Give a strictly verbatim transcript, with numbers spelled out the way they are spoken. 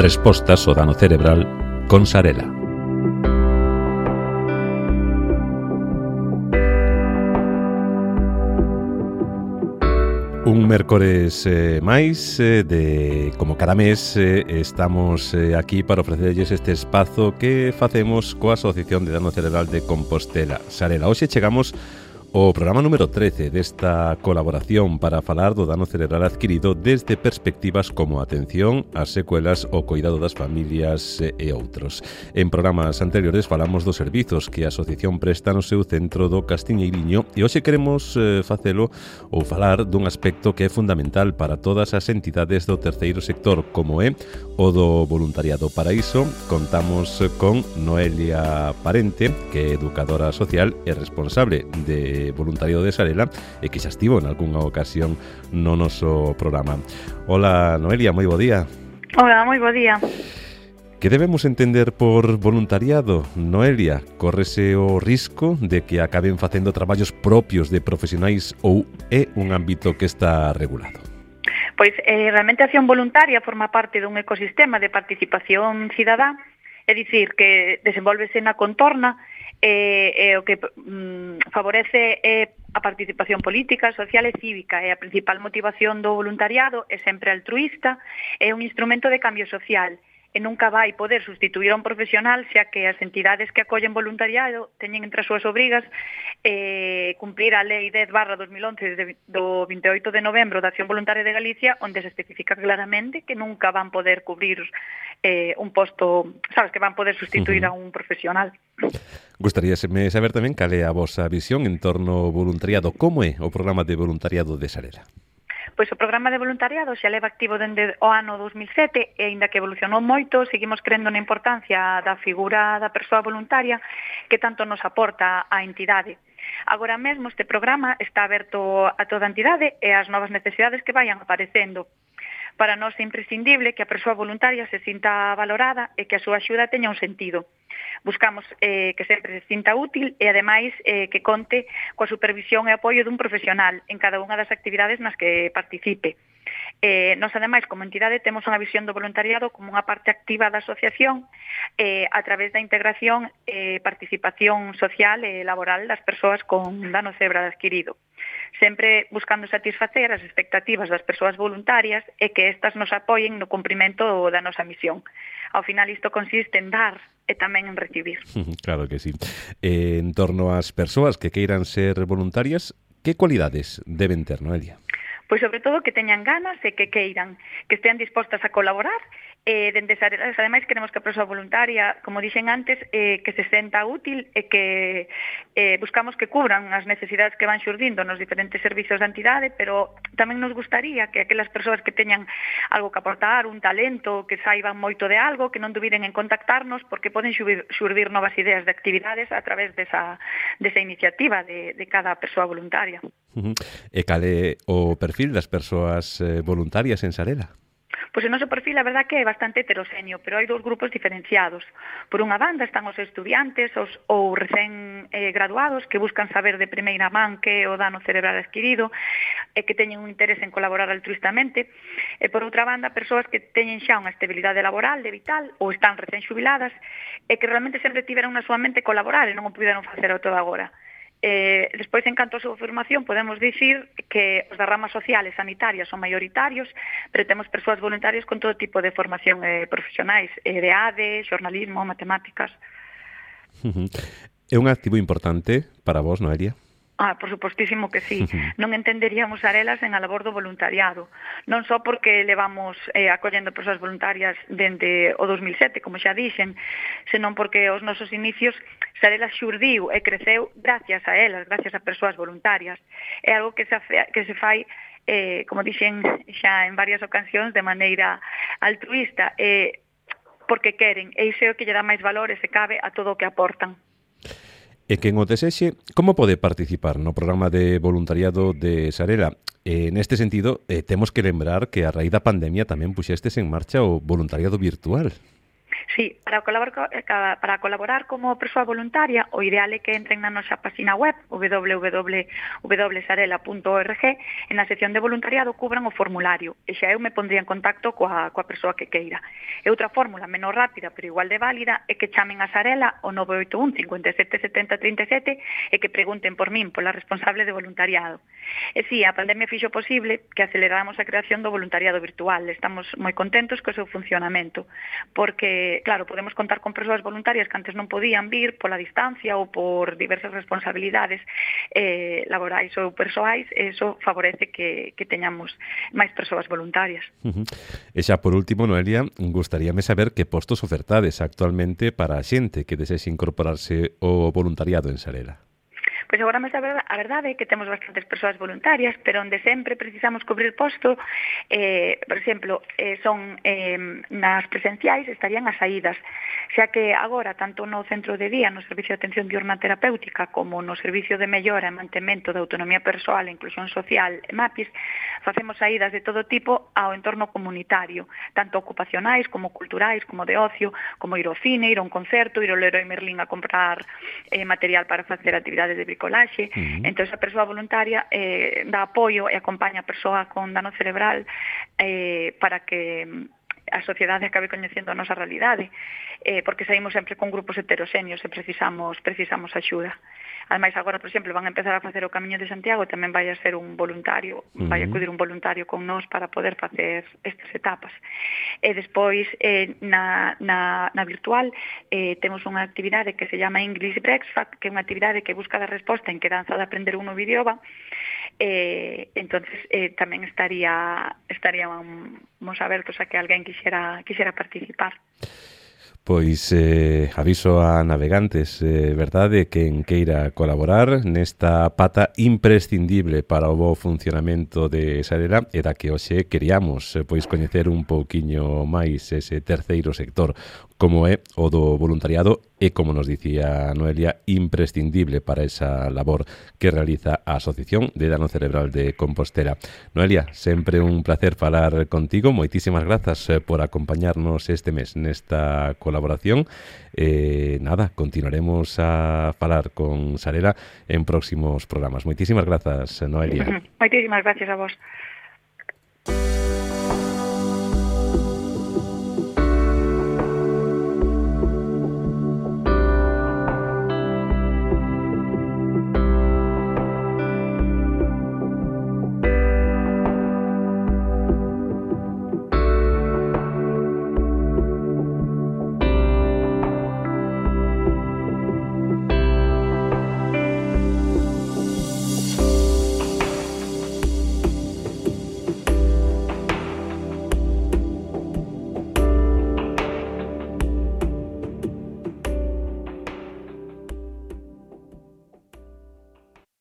Respostas ao dano cerebral con Sarela. Un mércores eh, máis eh, de como cada mes eh, estamos eh, aquí para ofrecerlles este espazo que facemos coa Asociación de Dano Cerebral de Compostela, Sarela. Hoxe chegamos ao programa número trece desta colaboración para falar do dano cerebral adquirido desde perspectivas como a atención, as secuelas, o cuidado das familias e outros. En programas anteriores falamos dos servizos que a asociación presta no seu centro do Castiñeiriño e hoxe queremos eh, facelo ou falar dun aspecto que é fundamental para todas as entidades do terceiro sector, como é o do voluntariado. Para iso contamos con Noelia Parente, que é educadora social e responsable de voluntariado de Sarela e que xa estivo en algunha ocasión no noso programa. Hola, Noelia, moi bo día. Hola, moi bo día. Que debemos entender por voluntariado, Noelia? Córrese o risco de que acaben facendo traballos propios de profesionais ou é un ámbito que está regulado? Pois, eh, realmente a acción voluntaria forma parte dun ecosistema de participación cidadá, é dicir, que desenvolvese na contorna e, e o que mm, favorece é a participación política, social e cívica, e a principal motivación do voluntariado é sempre altruísta, é un instrumento de cambio social e nunca vai poder sustituir a un profesional, xa que as entidades que acollen voluntariado teñen entre as súas obrigas eh, cumprir a Lei dez barra dos mil once de, do vinte e oito de novembro da Acción Voluntaria de Galicia, onde se especifica claramente que nunca van poder cubrir eh, un posto, sabes, que van poder sustituir uh-huh. a un profesional. Gustaríaseme saber tamén cal é a vosa visión en torno ao voluntariado. Como é o programa de voluntariado de Sarela? Pois o programa de voluntariado xa leva activo dende o ano dos mil sete e, aínda que evolucionou moito, seguimos crendo na importancia da figura da persoa voluntaria que tanto nos aporta a entidade. Agora mesmo este programa está aberto a toda a entidade e ás novas necesidades que vayan aparecendo. Para nós é imprescindible que a persoa voluntaria se sinta valorada e que a súa axuda teña un sentido. Buscamos eh, que sempre se sinta útil e, ademais, eh, que conte coa supervisión e apoio dun profesional en cada unha das actividades nas que participe. Eh, nos, ademais, como entidade, temos unha visión do voluntariado como unha parte activa da asociación eh, a través da integración e eh, participación social e laboral das persoas con dano cerebral adquirido, sempre buscando satisfacer as expectativas das persoas voluntarias e que estas nos apoien no cumprimento da nosa misión. Ao final, isto consiste en dar e tamén en recibir. Claro que sí. Eh, en torno ás persoas que queiran ser voluntarias, que cualidades deben ter, Noelia? Pois sobre todo que teñan ganas e que queiran, que estean dispostas a colaborar. Eh, dende Sarelas, ademais, queremos que a persoa voluntaria, como dixen antes, eh, que se senta útil e que eh, buscamos que cubran as necesidades que van xurdindo nos diferentes servizos da entidade, pero tamén nos gustaría que aquelas persoas que teñan algo que aportar, un talento, que saiban moito de algo, que non dubiden en contactarnos, porque poden xurdir, xurdir novas ideas de actividades a través desa, desa iniciativa de, de cada persoa voluntaria. Uh-huh. E cal é o perfil das persoas eh, voluntarias en Sarela? Pois o noso perfil, a verdad, que é bastante heteroxéneo, pero hai dous grupos diferenciados. Por unha banda están os estudiantes os, ou recén eh, graduados que buscan saber de primeira man que é o dano cerebral adquirido e que teñen un interés en colaborar altruistamente. E por outra banda, persoas que teñen xa unha estabilidade laboral de vital ou están recén xubiladas e que realmente sempre tiveron na súa mente colaborar e non o puderon facer ao todo agora. Eh, despois, en canto a súa formación, podemos dicir que os da rama social e sanitaria son maioritarios, pero temos persoas voluntarias con todo tipo de formación eh, profesionais, eh, de A D E, xornalismo, matemáticas. Uh-huh. É un activo importante para vos, Noelia? Ah, por supostísimo que sí. Non entenderíamos Sarelas en a labor do voluntariado. Non só porque levamos eh, acollendo persoas voluntarias dende o dos mil sete, como xa dixen, senón porque os nosos inicios Sarelas xurdiu e creceu gracias a elas, gracias a persoas voluntarias. É algo que se, que se fai, eh, como dixen xa en varias ocasións, de maneira altruista, eh, porque queren, e iso é o que lle dá máis valor e se cabe a todo o que aportan. E quen o desexe, como pode participar no programa de voluntariado de Sarela? E neste sentido, eh, temos que lembrar que a raíz da pandemia tamén puxestes en marcha o voluntariado virtual. Sí, para colaborar, para colaborar como persoa voluntaria, o ideal é que entren na nosa página web w w w punto sarela punto org e na sección de voluntariado cubran o formulario e xa eu me pondría en contacto coa, coa persoa que queira. E outra fórmula menos rápida pero igual de válida é que chamen a Sarela o nove oito un, cinco sete, sete zero tres sete e que pregunten por min, pola responsable de voluntariado. E si, a pandemia fixo posible que aceleráramos a creación do voluntariado virtual. Estamos moi contentos co seu funcionamento porque claro, podemos contar con persoas voluntarias que antes non podían vir pola distancia ou por diversas responsabilidades eh, laborais ou persoais, e iso favorece que, que teñamos máis persoas voluntarias. Uh-huh. E xa por último, Noelia, gustaríame saber que postos ofertades actualmente para a xente que desexe incorporarse ao voluntariado en Sarela. Pois agora mesmo a verdade é que temos bastantes persoas voluntarias, pero onde sempre precisamos cubrir posto, eh, por exemplo, eh, son eh, nas presenciais estarían as saídas, xa que agora, tanto no centro de día, no Servicio de Atención Diurna Terapéutica, como no Servicio de Mellora e Mantemento da Autonomía Persoal e Inclusión Social, MAPIS, facemos saídas de todo tipo ao entorno comunitario, tanto ocupacionais como culturais, como de ocio, como ir ao cine, ir a un concerto, ir ao Leroy Merlin a comprar eh, material para facer actividades de bricolaxe. Uh-huh. Entón, a persoa voluntaria eh, dá apoio e acompaña a persoa con dano cerebral eh, para que a sociedade acabe coñecendo a nosa realidade, eh, porque saímos sempre con grupos heteroxéneos e precisamos, precisamos axuda. Ademais, agora, por exemplo, van a empezar a facer o Camiño de Santiago e tamén vai a ser un voluntario, uh-huh. vai a acudir un voluntario con nós para poder facer estas etapas. E despois, eh, na, na, na virtual, eh, temos unha actividade que se chama English Breakfast, que é unha actividade que busca dar resposta en quedanza de aprender un novo idioma. Eh, entonces eh, tamén estaría estaríamos abertos a que alguén quixera, quixera participar. Pois eh, aviso a navegantes, eh, verdade, quen queira colaborar nesta pata imprescindible para o bo funcionamento de Sarela e da que hoxe queríamos eh, pois coñecer un pouquiño máis ese terceiro sector, como é o do voluntariado e, como nos dicía Noelia, imprescindible para esa labor que realiza a Asociación de Dano Cerebral de Compostela. Noelia, sempre un placer falar contigo, moitísimas grazas por acompañarnos este mes nesta colaboración. Eh, nada, continuaremos a falar con Sarela en próximos programas. Moitísimas grazas, Noelia. Moitísimas gracias a vos.